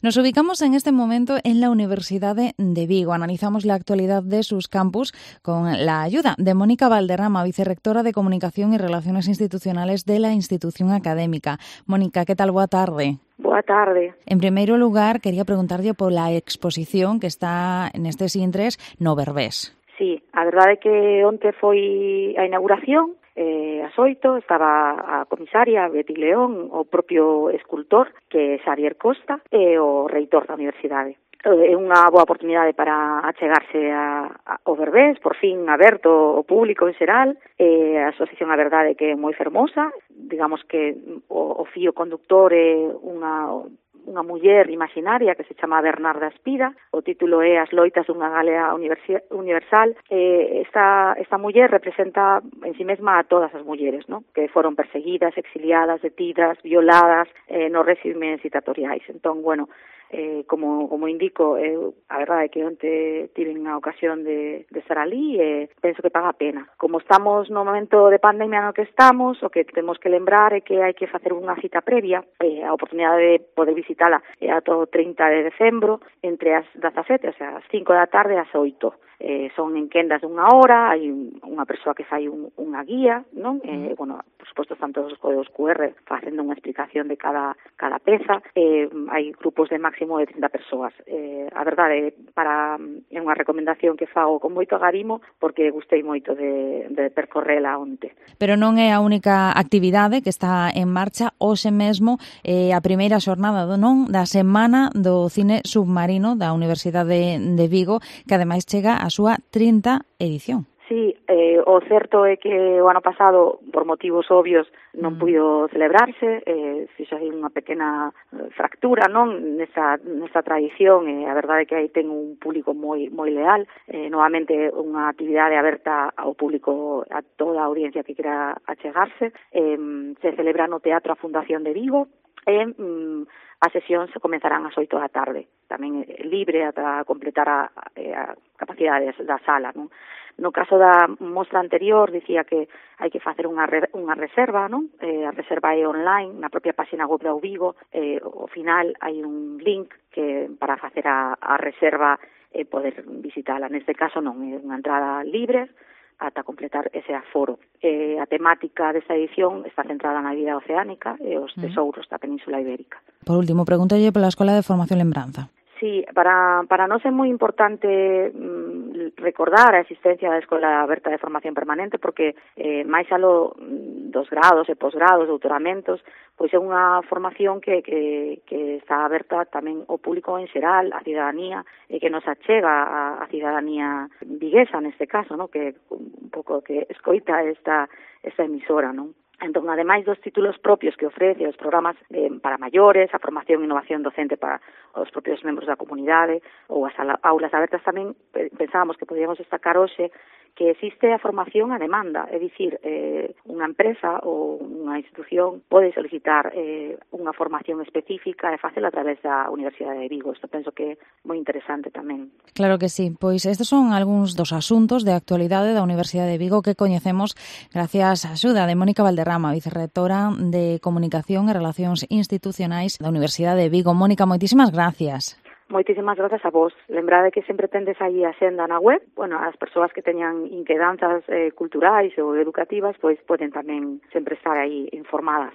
Nos ubicamos en este momento en la Universidad de Vigo. Analizamos la actualidad de sus campus con la ayuda de Mónica Valderrama, vicerrectora de Comunicación y Relaciones Institucionales de la institución académica. Mónica, ¿qué tal? Boa tarde. Boa tarde. En primeiro lugar, quería preguntarlle pola exposición que está nestes intres no Berbés. Sí, a verdade é que onte foi a inauguración, ás 8, estaba a comisaria Betty León, o propio escultor, que é Xavier Costa, e o reitor da universidade. É unha boa oportunidade para achegarse ao Berbés, por fin aberto ao público en xeral. A exposición, a verdade, que é moi fermosa. Digamos que o fío conductor é unha muller imaginaria que se chama Bernarda Espira. O título é As loitas dunha Galea universal. Esta muller representa en si mesma a todas as mulleres, ¿no?, que foron perseguidas, exiliadas, detidas, violadas nos réximes dictatoriais. Entón, bueno, como indico, a verdade é que onte tiven a ocasión de estar ali e penso que paga a pena. Como estamos no momento de pandemia no que estamos, o que temos que lembrar é que hai que facer unha cita previa. A oportunidade de poder visitala é ata o 30 de decembro, entre as 17, o sea, as 5 da tarde e as 8. Son en quendas de unha hora, hai unha persoa que fai unha guía, non? Bueno, por suposto, están todos os códigos QR facendo unha explicación de cada peza. Hai grupos de máximo de 30 persoas. A verdade, é unha recomendación que fago con moito agarimo, porque gustei moito de percorrela onte. Pero non é a única actividade que está en marcha. Hoxe mesmo a primeira xornada da semana do cine submarino da Universidade de Vigo, que ademais chega a súa 30 edición. Sí, o certo é que o ano pasado, por motivos obvios, non puido celebrarse, fixo aí unha pequena fractura, non, nesa tradición, e a verdade é que aí ten un público moi leal. Novamente unha actividade aberta ao público, a toda a audiencia que quera achegarse. Se celebra no Teatro a Fundación de Vigo, e as sesións comenzarán ás 8 da tarde, tamén libre ata completar a capacidade da sala, non? No caso da mostra anterior, dicía que hai que facer unha reserva, non? A reserva é online, na propia página web da Vigo. Ao final hai un link que para facer a reserva e poder visitala. Neste caso non, é unha entrada libre ata completar ese aforo. A temática desta edición está centrada na vida oceánica e os tesouros da Península Ibérica. Por último, pregúntalle pola Escola de Formación Lembranza. Sí, para nós é moi importante recordar a existencia da Escola Aberta de Formación Permanente, porque máis aló dos grados e posgrados, doutoramentos, pois é unha formación que está aberta tamén ao público en xeral, a cidadanía, e que nos achega a cidadanía viguesa neste caso, ¿no?, que un pouco que escoita esta emisora, non? Entón, ademais dos títulos propios que ofrece os programas para maiores, a formación e innovación docente para os propios membros da comunidade ou as aulas abertas, tamén pensábamos que podíamos destacar hoxe que existe a formación a demanda, é dicir, unha empresa ou unha institución pode solicitar unha formación específica e facela a través da Universidade de Vigo. Isto penso que é moi interesante tamén. Claro que sí, pois estes son algúns dos asuntos de actualidade da Universidade de Vigo que coñecemos gracias á axuda de Mónica Valderrama, vicerrectora de Comunicación e Relacións Institucionais da Universidade de Vigo. Mónica, moitísimas gracias. Moitísimas grazas a vos. Lembrade que sempre tendes aí a xenda na web. Bueno, as persoas que teñan inquedanzas culturais ou educativas, pois poden tamén sempre estar aí informadas.